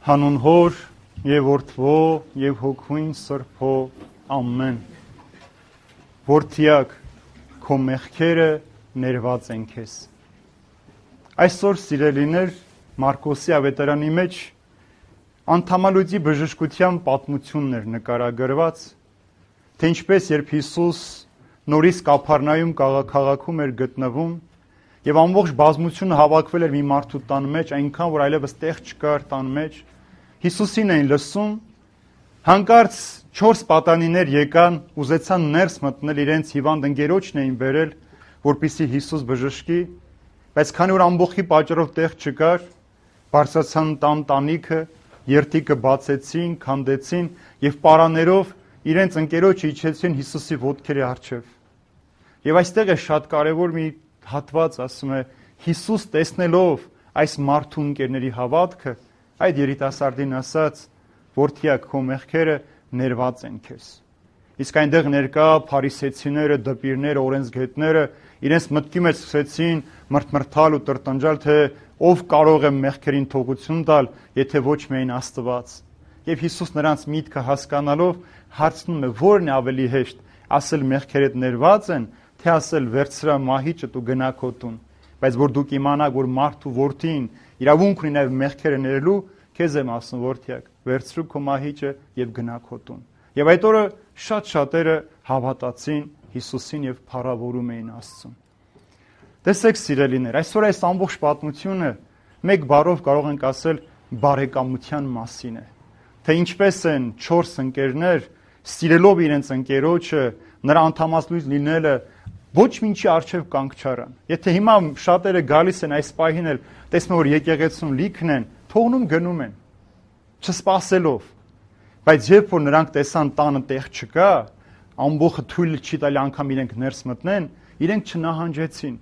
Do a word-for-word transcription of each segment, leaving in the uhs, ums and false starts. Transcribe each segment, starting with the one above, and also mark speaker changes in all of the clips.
Speaker 1: Հանուն Հոր եւ Որդվո եւ Հոգուին Սրբո ամեն։ Որդիակ, քո մեղքերը ներված են քեզ։ Այսօր սիրելիներ, Մարկոսի ավետարանի մեջ անդամալույծի բժշկության պատմությունն էր նկարագրված, թե ինչպես երբ Հիսուս նորից Կափառնայում քաղաքում էր գտնվում եւ ամբողջ բազմությունը հավաքվել էր մի մարդու տան մեջ, այնքան որ այլևս տեղ չկար տան մեջ, Հիսուսին էին լսում, հանկարծ չորս պատանիներ եկան, ուզեցան ներս մտնել, իրենց հիվանդ ընկերոջն էին բերել, որպեսզի Հիսուս բժշկի, բայց քանի որ ամբողջի պատճառով տեղ չկար, բարձրացան տան տանիքը, երթիկը բացեցին, քանդեցին եւ պարաներով իրենց ընկերոջը իջեցին Հիսուսի ոտքերի առջև։ Եվ այստեղ է շատ կարևոր մի հատված, ասում է, Հիսուս տեսնելով այս մարդու ընկերների հավատքը, այդ երիտասարդին ասաց, որդիակ, քո մեղքերը ներված են քեզ։ Իսկ այնտեղ ներկա փարիսեցիները, դպիրները, օրենսգետները իրենց մտքի մեջ սկսեցին մրթմրթալ ու տրտնջալ, թե ով կարող է մեղքերին թողություն տալ, եթե ոչ միայն Աստված։ Եվ Հիսուս նրանց միտքը հասկանալով հարցնում է, որն է ավելի հեշտ, ասել մեղքերդ ներված են, թե ասել վերցրա մահիճդ ու գնա քո տուն։ Բայց որ դուք իմանաք, որ մարդու որդին իրավունք ունի նաև մեղքերը ներելու, քեզ եմ ասում, որդիակ, վերցրու քո մահիճը եւ գնա քո տուն։ Եվ այդ օրը շատ շատերը հավատացին Հիսուսին եւ փառավորում էին Աստծուն։ Տեսեք, սիրելիներ, այսօր այս ամբողջ պատմությունը մեկ բառով կարող ենք ասել բարեկամության մասին է, թե ինչպես են չորս ընկերներ սիրելով իրենց ընկերոջը, նրա անդամացույց լինելը ոչ մինչի արժև կանգ չարան։ Եթե հիմա շատերը գալիս են այս պահին էլ տեսնում որ եկեղեցում լիքն են, թողնում գնում են, չսպասելով։ Բայց երբ որ նրանք տեսան տանը տեղ չկա, ամբողջը թույլ չի տալի անգամ իրենք ներս մտնեն, իրենք չնահանջեցին։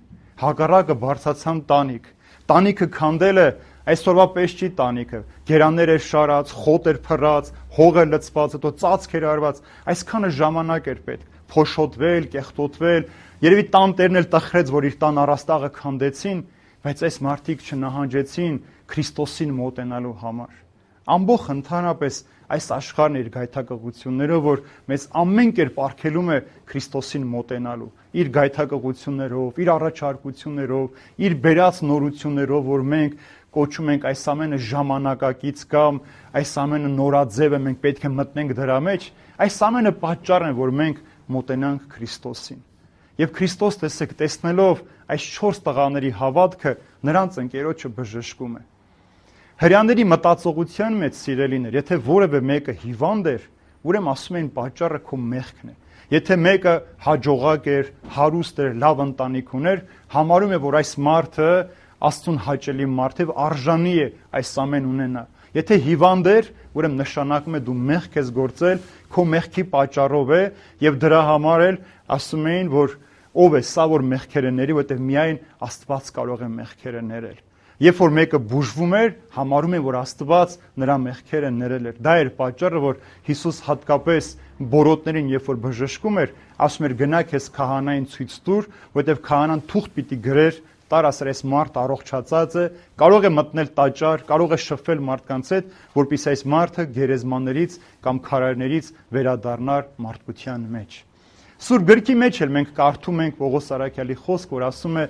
Speaker 1: Հակառակը բարձացան տանիք։ Տանիքը քանդելը այսօրվա պես չի տանիքը։ Գերաններ էր շարած, խոտ էր փռած, հող էր լցված, հետո ծածկ էր արված։ Այսքանը ժամանակ էր պետք։ Փոշոտվել, կեղտոտվել, երևի տան տերն էլ տխրեց, որ իր տան առաստաղը քանդեցին, բայց այս մարդիկ չնահանջեցին Քրիստոսին մոտենալու համար։ Ամբողջ ընդհանրապես այս աշխարհն իր գայթակղություններով, որ մեզ ամեն կերպ արգելում է Քրիստոսին մոտենալու, իր գայթակղություններով, իր առաջարկություններով, իր բերած նորություններով, որ մենք կոչում ենք այս ամենը ժամանակակից կամ այս ամենը նորաձև է, մենք պետք է մտնենք դրա մեջ, այս ամենը պատճառն է, որ մենք մոտենանք Քրիստոսին։ Եվ Քրիստոս, տեսեք, տեսնելով այս չորս տղաների հավատքը, նրանց ընկերոջը բժշկում է։ Հրեաների մտածողության մեջ, սիրելիներ, եթե որևէ մեկը հիվանդ էր, ուրեմն ասում էին պատճառը քո մեղքն է։ Եթե մեկը հաջողակ էր, հարուստ էր, լավ ընտանիք ուներ, համարում է, որ այս մարդը Աստծուն հաճելի մարդ է, արժանի է այս ամեն ունենա։ Եթե հիվանդ էր, ուրեմն նշանակում է դու մեղք ես գործել, քո մեղքի պատճառով է, եւ դրա համար էլ ասում էին, որ ով է սա, որ մեղքերը ների, որովհետեւ միայն Աստված կարող է մեղքերը ներել։ Երբ որ մեկը բուժվում էր, համարում են, որ Աստված նրա մեղքերը ներել էր։ Դա էր պատճառը, որ Հիսուս հատկապես բորոտներին, երբ որ բժշկում էր, ասում էր գնա քեզ քահանային ցույց տուր, որովհետև քահանան թուղթ պիտի գրեր, տար ասեր այս մարդ առողջացած է, կարող է մտնել տաճար, կարող է շփվել մարդկանց հետ, որպեսզի այս մարդը գերեզմաններից կամ քարայրներից վերադառնար մարդկության մեջ։ Սուրբ գրքի մեջ էլ մենք կարդում ենք Պողոս Արաքյալի խոսք, որ ասում է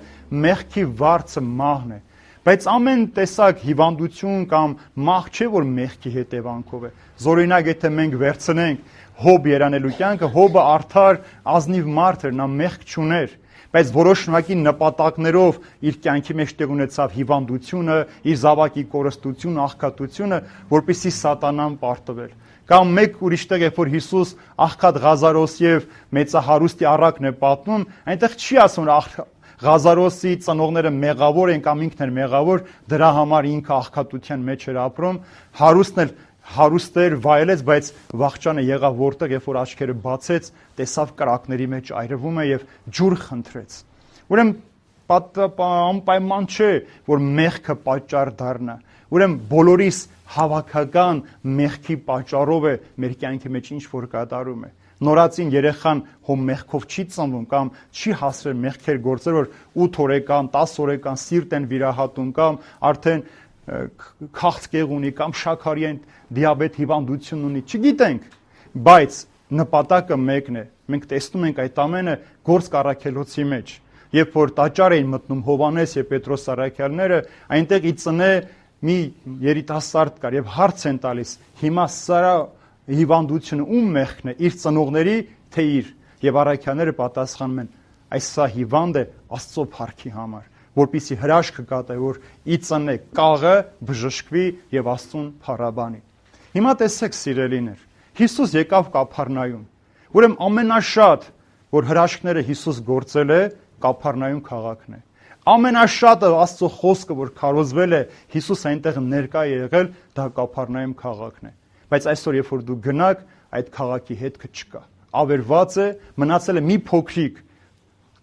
Speaker 1: մեղքի վարձը մահն է։ Բայց ամեն տեսակ հիվանդություն կամ մահ չէ, որ մեղքի հետևանքով է։ Զորօրինակ, եթե մենք վերցնենք Հոբ երանելու կյանքը, Հոբը արդար, ազնիվ մարդ էր, նա մեղք չուներ, բայց որոշ շնորհակի նպատակներով իր կյանքի մեջ տեղ ունեցավ հիվանդությունը, իր զավակի կորստությունը, աղքատությունը, որպեսզի սատանան պարտվել։ Կամ մեկ ուրիշ տեղ, երբ որ Հիսուս աղքատ Ղազարոս եւ մեծահարուստի առակն է պատմում, այնտեղ չի ասում, որ Ղազարոսի ծնողները մեղավոր են կամ ինքն էր մեղավոր, դրա համար ինքը աղքատության մեջ էր ապրում, հարուստն էլ հարուստ էր, վայելեց, բայց վախճանը եղավ որտեղ, երբ որ աչքերը բացեց, տեսավ կրակների մեջ այրվում է եւ ջուր խնդրեց։ Ուրեմն անպայման չէ, որ մեղքը պատճառ դառնա։ Ուրեմն բոլորիս հավաքական մեղքի պատճառով է մեր կյանքի մեջ ինչ որ կատարում է։ Նորածին երեխան հո մեղքով չի ծնվում կամ չի հասրել մեղքեր գործել, որ ութ օրեկան, տասը օրեկան սիրտ են վիրահատում կամ արդեն քաղցկեղ ունի կամ շաքարային դիաբետ հիվանդություն ունի, չգիտենք, բայց նպատակը մեկն է։ Մենք տեսնում ենք այդ ամենը Գործք առաքելոցի մեջ, երբ որ տաճար էին մտնում Հովհաննես եւ Պետրոս առաքյալները, այնտեղ ի ծնե մի երիտասարդ կար եւ հարց են տալիս. հիմա սա հիվանդությունը ում մեղքն է, իր ծնողների թե իր, եւ առաքյալները պատասխանում են. այս սա հիվանդ է Աստծո փառքի համար, որպեսզի հրաշքը կատարի, որ ի ծնե կաղը բժշկվի եւ Աստծուն փառաբանի։ Հիմա տեսեք, սիրելիներ, Հիսուս եկավ Կափառնայում, ուրեմն ամենաշատ, որ հրաշքները Հիսուս գործել է, Կափառնայում քաղաքն է։ Ամենաշատը Աստծո խոսքը, որ քարոզվել է, Հիսուս այնտեղ ներկա է եղել, դա Կափառնայում քաղաքն է։ Բայց այսօր, երբ որ դու գնաք, այդ քաղաքի հետքը չկա։ Ավերված է, մնացել է մի փոքրիկ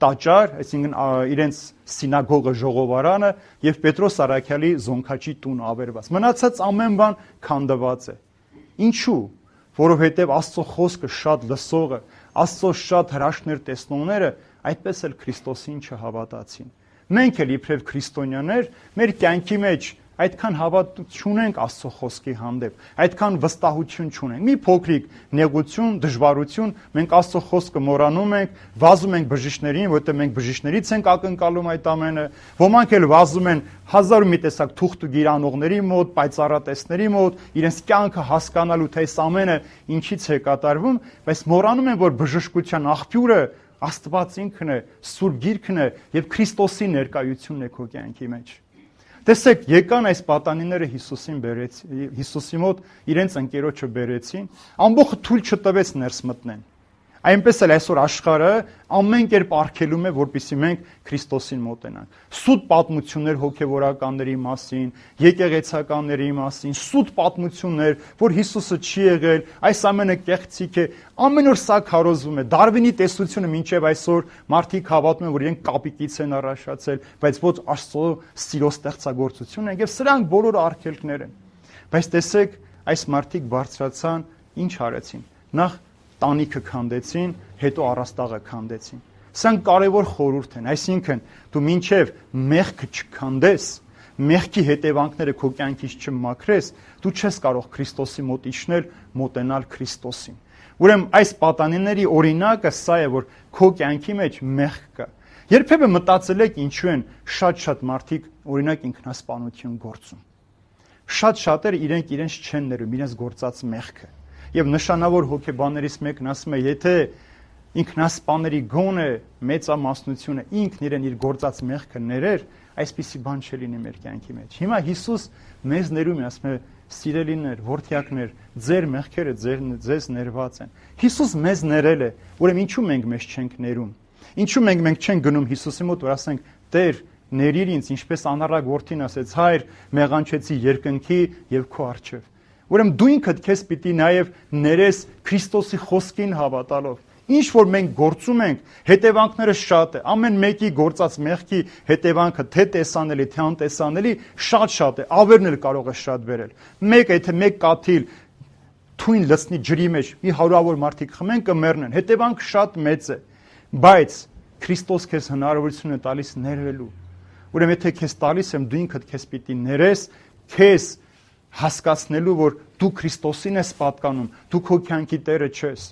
Speaker 1: տաճար, այսինքն իրենց սինագոգը, ժողովարանը եւ Պետրոս առաքյալի զոնքաչի տունը ավերված։ Մնացած ամեն բան քանդված է։ Ինչու՞։ Որովհետեւ Աստծո խոսքը շատ լսողը, Աստծո շատ հրաշքներ տեսնողները այդպես էլ Քրիստոսին չհավատացին։ Մենք էլ իբրև քրիստոնյաներ մեր կյանքի մեջ այդքան հավատ չունենք Աստծո խոսքի հանդեպ, այդքան վստահություն չունենք։ Մի փոքրիկ նեղություն, դժվարություն, մենք Աստծո խոսքը մոռանում ենք, վազում ենք բժիշկներին, որտեղ մենք բժիշկներից ենք ակնկալում այդ ամենը։ Ոմանք էլ վազում են հազար ու մի տեսակ թուղթ ու գիրանողների մոտ, պայծառատեսների մոտ, իրենց կյանքը հասկանալու, թե այս ամենը ինչից է կատարվում, բայց մոռանում են, որ բժշկության աղբյուրը Աստված ինքն է, Սուրբ Գիրքն է եւ Քրիստոսի ներկայությունն է քո կյանքի մեջ։ Տեսեք, եկան այս պատանիները Հիսուսին բերեցին, Հիսուսի մոտ իրենց ընկերոջը բերեցին, ամբողջը թույլ չտվեց ներս մտնեն։ Այնպես էլ այսօր աշխարհը ամեն կերպ արգելում է, որպեսզի մենք Քրիստոսին մոտենանք։ Սուտ պատմություններ հոգևորականների մասին, եկեղեցականների մասին, սուտ պատմություններ, որ Հիսուսը չի եղել, այս ամենը կեղծիք է, ամեն օր սա քարոզվում է։ Դարվինի տեսությունը մինչև այսօր մարդիկ հավատում են, որ իրենք կապիկից են առաջացել, բայց ոչ Աստծո սիրո ստեղծագործություն են, եւ սրանք բոլորը արգելքներ են։ Բայց տեսեք, այս մարդիկ բարձրացան, ինչ արեցին։ Նախ տանիքը քանդեցին, հետո առաստաղը քանդեցին։ Սրանք կարևոր խորհուրդ են, այսինքն դու մինչև մեղքը չքանդես, մեղքի հետևանքները քո կյանքից չմաքրես, դու չես կարող Քրիստոսի մոտ իջնել, մոտենալ Քրիստոսին։ Ուրեմն այս պատանիների օրինակը սա է, որ քո կյանքի մեջ մեղք կա։ Երբևէ մտածել եք ինչու են շատ-շատ մարդիկ օրինակ ինքնասպանություն գործում։ Շատ շատերը իրենք իրենց չեն ներում իրենց գործած մեղքը։ Եվ նշանավոր հոգեբաններից մեկն ասում է, եթե ինքնասպաների գոնը մեծամասնությունը ինքն իրեն իր գործած մեղքը ներեր, այսպիսի բան չլինի մեր կյանքի մեջ։ Հիմա Հիսուս մեզ ներում է, ասում է, սիրելիներ, որդյակներ, ձեր մեղքերը ձեզ ներված են։ Հիսուս մեզ ներել է, ուրեմն ինչու մենք մեզ չենք ներում։ Ինչու մենք մենք չենք գնում Հիսուսի մոտ, որ ասենք, Տեր, ներիր ինձ, ինչպես անառակ որդին ասեց, հայր, մեղանչեցի երկնքի եւ քո առջև։ Ուրեմն դու ինքդ քեզ պիտի նաև ներես Քրիստոսի խոսքին հավատալով։ Ինչ որ մենք գործում ենք, հետևանքները շատ է։ Ամեն մեկի գործած մեղքի հետևանքը թե տեսանելի, թե անտեսանելի շատ-շատ է, ավերն էլ կարող է շատ բերել։ Մեկ եթե մեկ կաթիլ թույն լցնի ջրի մեջ, մի հարյուրավոր մարդիկ խմեն կմեռնեն, հետևանքը շատ մեծ է։ Բայց Քրիստոս քեզ հնարավորություն է տալիս ներվելու։ Ուրեմն եթե քեզ տալիս եմ, դու ինքդ քեզ պիտի ներես, քեզ հասկացնելու, որ դու Քրիստոսին ես պատկանում, դու քո կյանքի տերը չես։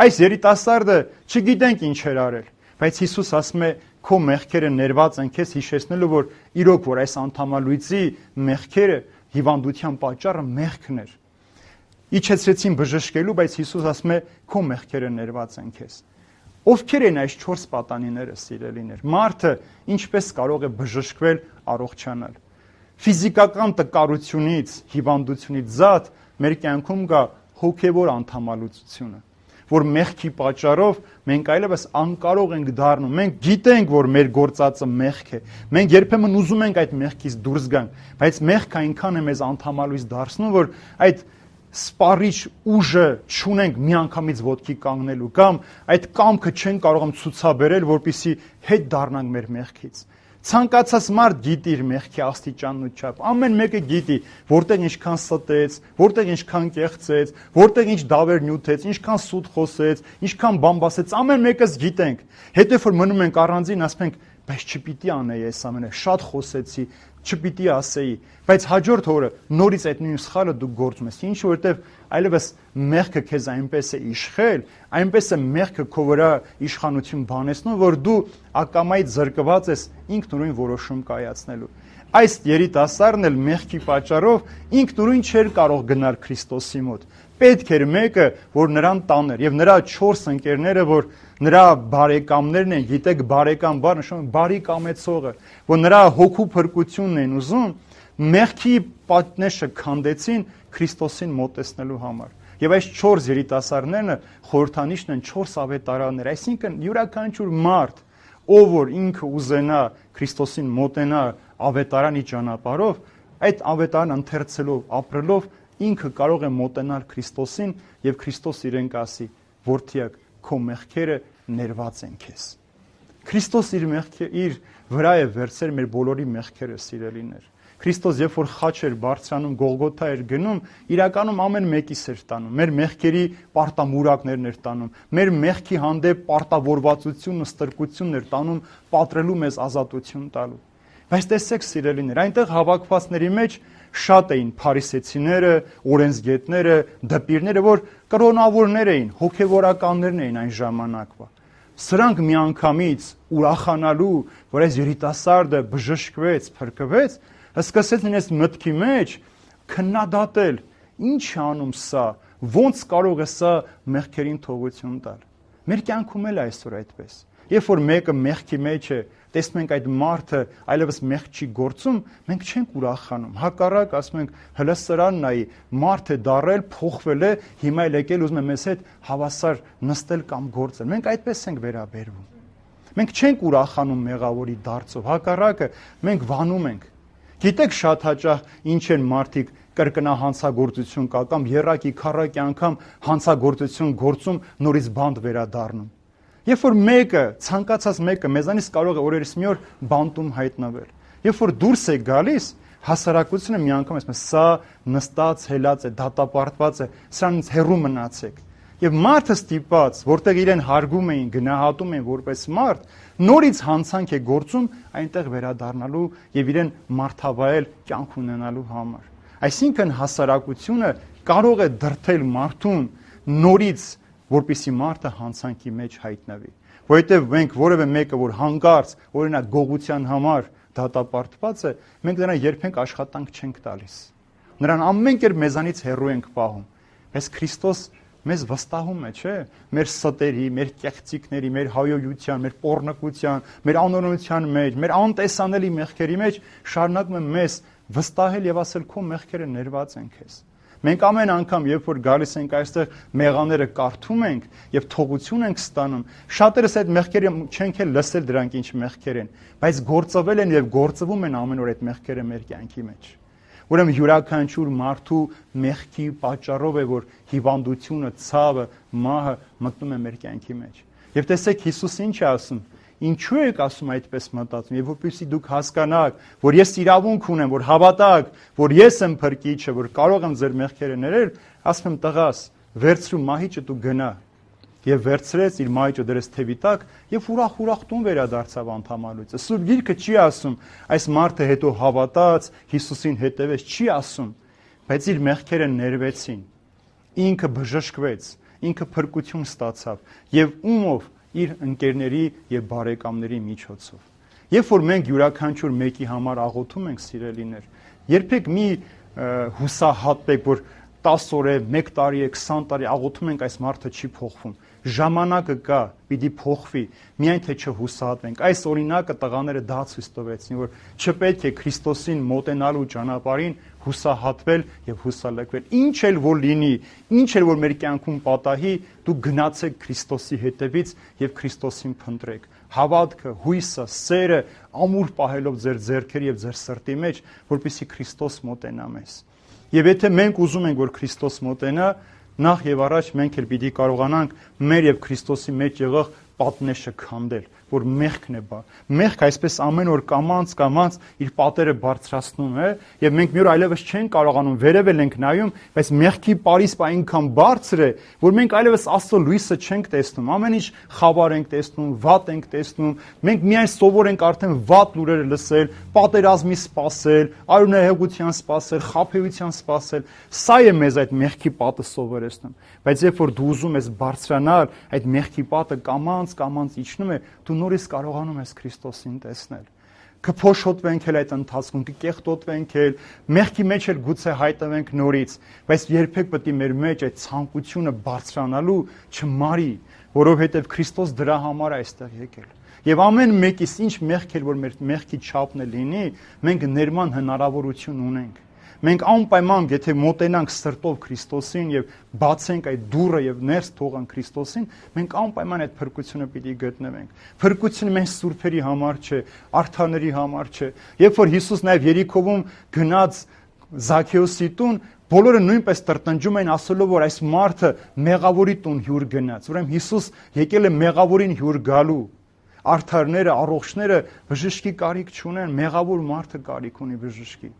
Speaker 1: Այս երիտասարդը չգիտենք ինչ էր արել, բայց Հիսուս ասում է, քո մեղքերը ներված են քեզ, հիշեցնելու, որ իրոք որ այս անդամալույծի մեղքերը հիվանդության պատճառը մեղքն էր։ Իջեցրեցին բժշկելու, բայց Հիսուս ասում է, քո մեղքերը ներված են քեզ։ Ովքեր են այս չորս պատանիները, սիրելիներ։ Մարդը ինչպես կարող է բժշկվել, առողջանալ։ Ֆիզիկական տկարությունից, հիվանդությունից զատ մեր կյանքում կա հոգևոր անդամալուծությունը, որ մեղքի պատճառով մենք այլևս անկարող ենք դառնում։ Մենք գիտենք, որ մեր գործածը մեղք է։ Մենք երբեմն ուզում ենք այդ մեղքից դուրս գանք, բայց մեղքը այնքան է մեզ անդամալույծ դարձնում, որ այդ սպառիչ ուժը չունենք միանգամից ոտքի կանգնելու կամ այդ կամքը չեն կարողանում ցուցաբերել, որպեսզի հետ դառնանք մեր մեղքից։ Ցանկացած մարդ գիտի իր մեղքի աստիճանն ու չափ։ Ամեն մեկը գիտի, որտեղ ինչքան ստեց, որտեղ ինչքան կեղծեց, որտեղ ինչ դավեր նյութեց, ինչքան սուտ խոսեց, ինչքան բամբասեց, ամեն մեկս գիտենք։ Հետո որ մնում ենք առանձին, ասում ենք, բայց չպիտի անեի այս ամենը, շատ խոսեցի, չպիտի ասեի, բայց հաջորդ օրը նորից այդ նույն սխալը դու գործում ես, ինչ որտեվ այլևս մեղքը քեզ այնպես է իշխել, այնպես է մեղքը քո վրա իշխանություն բանեցնում, որ դու ակամայից զրկված ես ինքնուրույն որոշում կայացնելու։ Այս երիտասարդն էլ մեղքի պատճառով ինքնուրույն չէր կարող գնալ Քրիստոսի մոտ։ Պետք էր մեկը, որ նրան տաներ, եւ նրա չորս ընկերները, որ նրա բարեկամներն են, գիտեք, բարեկամ բառը նշանակում է բարի կամեցողը, որ նրա հոգու փրկությունն են ուզում, մեղքի պատնեշը քանդեցին Քրիստոսին մոտեցնելու համար։ Եվ այս չորս երիտասարդներն խորհրդանիշն են չորս ավետարաններ, այսինքն յուրաքանչյուր մարդ, ով որ ինքը ուզենա Քրիստոսին մոտենա ավետարանի ճանապարհով, այդ ավետարանը ընթերցելով, ապրելով ինքը կարող է մոտենալ Քրիստոսին եւ Քրիստոս իրեն կասի. «Որդիակ, քո մեղքերը ներված են քեզ»։ Քրիստոս իր մեղքը իր վրա է վերցրել մեր բոլորի մեղքերը, սիրելիներ։ Քրիստոս երբ որ խաչ էր բարձրանում, Գողգոթա էր գնում, իրականում ամեն մեկիս էր տանում։ Մեր մեղքերի պարտամուրակներն էր տանում։ Մեր մեղքի հանդեպ պարտավորվածությունն ու ստրկությունն էր տանում, պատրելու մեզ ազատություն տալու։ Բայց տեսեք, սիրելիներ, այնտեղ հավաքվածների մեջ շատ էին փարիսեցիները, օրենսգետները, դպիրները, որ կրոնավորներ էին, հոգևորականներն էին այն ժամանակվա։ Սրանք միանգամից ուրախանալու, որ այս երիտասարդը բժշկվեց, փրկվեց, սկսեց նրանց մտքի մեջ քննադատել. ինչ է անում սա, ոնց կարող է սա մեղքերին թողություն տալ։ Մեր կյանքում էլ այսօր այդպես։ Երբ որ մեկը մեղքի մեջ է, տեսնում ենք այդ մարդը այլևս մեղք չի գործում, մենք չենք ուրախանում։ Հակառակ ասում ենք, հələ սրան նայի, մարդ է դառել, փոխվել է, հիմա էլ եկել ուզում է մեզ հետ հավասար նստել կամ գործել։ Մենք այդպես ենք վերաբերվում։ Մենք չենք ուրախանում մեղավորի դարձով, հակառակը մենք վանում ենք։ Գիտեք շատ հաճախ ինչ են մարդիկ կրկնահանցագործություն կա կամ եռակի քառակի անգամ հանցագործություն գործում, նորից բանտ վերադառնում։ Երբ որ մեկը, ցանկացած մեկը մեզանից կարող է օրերս մի օր բանտում հայտնվել։ Երբ որ դուրս է գալիս, հասարակությունը մի անգամ ասում է, սա նստած, հելած է, դատապարտված է, սրանից հեռու մնացեք։ Եվ մարդը ստիպած, որտեղ իրեն հարգում էին, գնահատում էին որպես մարդ, նորից հանցանք է գործում այնտեղ վերադառնալու եւ իրեն մարդավայել կյանք ունենալու համար։ Այսինքն հասարակությունը կարող է դրթել մարդուն նորից, որպեսզի մարդը հանցանքի մեջ հայտնվի։ Որովհետև մենք որևէ մեկը, որ հանկարծ, օրինակ գողության համար դատապարտված է, մենք նրան երբեք աշխատանք չենք տալիս։ Նրան ամեն կերպ մեզանից հեռու ենք պահում։ Բայց Քրիստոս մեզ վստահում է, չէ՞, մեր ստերի, մեր կեղծիքների, մեր հայոյության, մեր պոռնկության, մեր անօրենության մեջ, մեր անտեսանելի մեղքերի մեջ շարունակում է մեզ վստահել եւ ասել քո մեղքերը ներված են քեզ։ Մենք ամեն անգամ, երբ որ գալիս ենք այստեղ, մեղաները կարդում ենք եւ թողություն ենք ստանում, շատերս այդ մեղքերը չենք էլ լսել դրանք ինչ մեղքեր են, բայց գործվել են եւ գործվում են ամեն օր այդ մեղքերը մեր կյանքի մեջ։ Ուրեմն յուրաքանչյուր մարդու մեղքի պատճառով է, որ հիվանդությունը, ցավը, մահը մտնում է մեր կյանքի մեջ։ Եվ տեսեք, Հիսուս ինչ է ասում. ինչու եք ասում այդպես մտածում, եւ որպեսզի դուք հասկանաք, որ ես իրավունք ունեմ, որ հավատաք, որ ես եմ փրկիչը, որ կարող եմ ձեր մեղքերը ներել, ասում եմ, տղաս, վերցրու մահիճը դու գնա։ Եվ վերցրեց իր մահիճը դրեց թևի տակ եւ ուրախ-ուրախ տուն վերադարձավ անդամալույցը։ Սուրբ Գիրքը չի ասում, այս մարդը հետո հավատաց, Հիսուսին հետևեց, չի ասում, բայց իր մեղքերը ներվեցին։ Ինքը բժշկվեց, ինքը փրկություն ստացավ եւ ումով իր ընկերների եւ բարեկամների միջոցով։ Երբ որ մենք յուրաքանչյուր մեկի համար աղոթում ենք, սիրելիներ, երբեք մի հուսահատվեք, որ տասը օր է, մեկ տարի է, քսան տարի աղոթում ենք, այս մարդը չի փոխվում։ Ժամանակը կա, պիտի փոխվի, միայն թե չհուսահատվենք։ Այս օրինակը տղաները դա ցույց տվեցին, որ չպետք է Քրիստոսին մոտենալու ճանապարհին հուսահատվել եւ հուսալքվել։ Ինչ էլ որ լինի, ինչ էլ որ մեր կյանքում պատահի, դու գնացեք Քրիստոսի հետևից եւ Քրիստոսին փնտրեք։ Հավատքը, հույսը, սերը ամուր պահելով ձեր ձեռքերի եւ ձեր սրտի մեջ, որպեսզի Քրիստոս մոտենա մեզ։ Եվ եթե մենք ուզում ենք, որ Քրիստոս մոտենա, նախ եւ առաջ մենք էլ պիտի կարողանանք մեր եւ Քրիստոսի մեջ եղող պատնեշը քանդել, որ մեղքն է բա։ Մեղք այսպես ամեն օր կամած կամած իր պատերը բարձրացնում է, եւ մենք մի օր այլևս չենք կարողանում վերևել ենք նայում, բայց մեղքի պարիսպը այնքան բարձր է, որ մենք այլևս Աստծո լույսը չենք տեսնում։ Ամեն ինչ խավար ենք տեսնում, վատ ենք տեսնում։ Մենք միայն սովոր ենք արդեն վատ լուրերը լսել, պատերազմի սպասել, արյունահեղության սպասել, խաբեության սպասել։ Սա է մեզ այդ մեղքի պատը սովորեցնում։ Բայց երբ որ դու ուզում ես բարձրանալ, այդ մեղքի պատը կամած կամած իջնում է, դու նորից կարողանում ես Քրիստոսին տեսնել։ Կփոշոտվենք էլ այդ ընթացքում, կկեղտոտվենք էլ, մեղքի մեջ էլ գուցե հայտնվենք նորից, բայց երբեք պետք է մեր մեջ այդ ցանկությունը բարձրանալու չմարի, որովհետև Քրիստոս դրա համար է այստեղ եկել։ Եվ ամեն մեկից ինչ մեղք էլ որ մեր մեղքի չափն է լինի, մենք ներման հնարավորություն ունենք։ Մենք անպայման, եթե մոտենանք սրտով Քրիստոսին եւ բացենք այդ դուռը եւ ներս թողանք Քրիստոսին, մենք անպայման այդ փրկությունը պիտի գտնենք։ Փրկությունը մենք սուրբերի համար չէ, արդարների համար չէ։ Երբ որ Հիսուս նաեւ Երիքովում գնաց Զաքեոսի տուն, բոլորը նույնպես տրտնջում էին ասելով, որ այս մարդը մեղավորի տուն հյուր գնաց։ Ուրեմն Հիսուս եկել է մեղավորին հյուր գալու։ Արդարները, առողջները բժշկի կարիք չունեն, մեղավոր մարդը կարիք ունի բժշկի։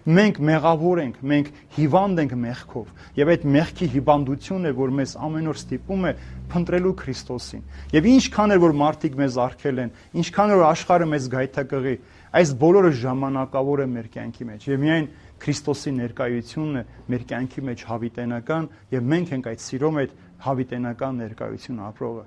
Speaker 1: Մենք մեղավոր ենք, մենք հիվանդ ենք մեղքով, եւ այդ մեղքի հիվանդությունն է, որ մեզ ամեն օր ստիպում է փնտրելու Քրիստոսին։ Եվ ինչքան էլ որ մարդիկ մեզ արգել են, ինչքան էլ որ աշխարհը մեզ գայթակղի, այս բոլորը ժամանակավոր է մեր կյանքի մեջ։ Եվ միայն Քրիստոսի ներկայությունն է մեր կյանքի մեջ հավիտենական, եւ մենք ենք այդ սիրո մեջ հավիտենական ներկայություն ապրողը։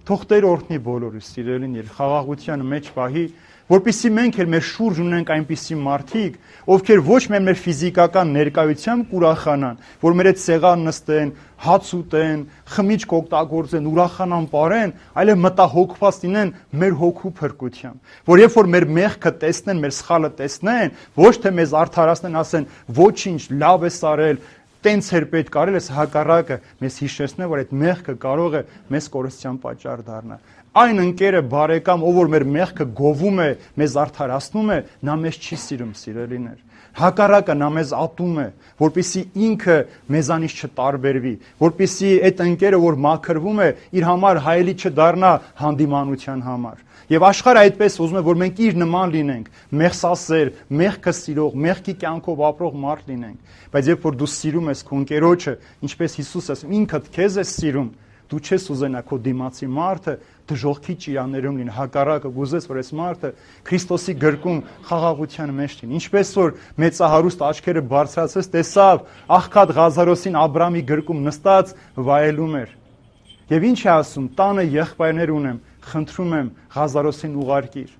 Speaker 1: Թող Տեր օրհնի բոլորս, սիրելին, եւ խաղաղության մեջ պահի, որպեսզի մենք էլ մեր շուրջ ունենք այնպիսի մարդիկ, ովքեր ոչ միայն մեր ֆիզիկական ներկայությամբ կուրախանան, որ մեր այդ սեղան նստեն, հաց ուտեն, խմիչք օգտագործեն, ուրախանան, ապարեն, այլև մտահոգված լինեն մեր հոգու փրկությամբ, որ երբ որ մեր մեղքը տեսնեն, մեր սխալը տեսնեն, ոչ թե մեզ արդարացնեն, ասեն, ոչինչ, լավ ես արել, տենց էր պետք արել, այս հակառակը մեզ հիշեցնե, որ այդ մեղքը կարող է մեզ կորստյան պատճառ դառնալ։ Այն ընկերը բարեկամ, ով որ մեր մեղքը գովում է, մեզ արդարացնում է, նա մեզ չի սիրում, սիրելիներ։ Հակառակը նա մեզ ատում է, որպեսզի ինքը մեզանից չտարբերվի, որպեսզի այդ ընկերը, որ մաքրվում է, իր համար հայելի չդառնա հանդիմանության համար։ Եվ աշխարհը այդպես ուզում է, որ մենք իր նման լինենք, մեղսասեր, մեղքը սիրող, մեղքի կյանքով ապրող մարդ լինենք։ Բայց երբ որ դու սիրում ես քո ընկերոջը, ինչպես Հիսուսը ասում, ինքդ քեզ ես սիրում, դու չես ուզենա քո դիմացի մարդը դժոխքի ճիրաններում լինի, հակառակը գուզես, որ այս մարդը Քրիստոսի գրկում խաղաղության մեջ լինի։ Ինչպես որ մեծահարուստ աչքերը բարձրացրեց, տեսավ աղքատ Ղազարոսին Աբրամի գրկում նստած վայելում էր։ Եվ ինչ է ասում, տանը եղբայրներ ունեմ, խնդրում եմ Ղազարոսին ուղարկիր։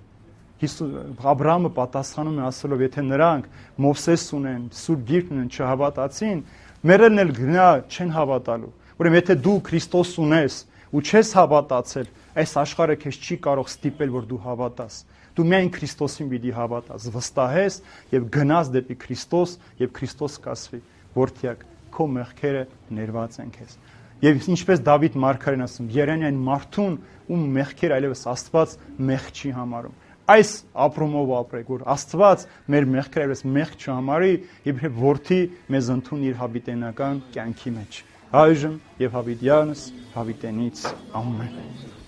Speaker 1: Աբրամը պատասխանում է ասելով, եթե նրանք Մովսես ունեն, Սուրբ Գիրքն ունեն, չհավատացին, մերելն էլ գնա չեն հավատալու։ Ուրեմն եթե դու Քրիստոս ունես ու չես հավատացել, այս աշխարհը քեզ չի կարող ստիպել, որ դու հավատաս։ Դու միայն Քրիստոսին պիտի հավատաս, վստահես եւ գնաս դեպի Քրիստոս եւ Քրիստոս կասվի, որդյակ, քո մեղքերը ներված են քեզ։ Եվ ինչպես Դավիթ մարգարեն ասում, երանի այն մարդուն, ում մեղքերը այլևս Աստված մեղք չի համարում։ Այս ապրումով ապրեք, որ Աստված մեր մեղքերը այլևս մեղք չհամարի, իբրև որդի մեզ ընդունի իր հավիտենական կյանքի մեջ։ Այժմ եւ հավիտյանս հավիտենից ամեն։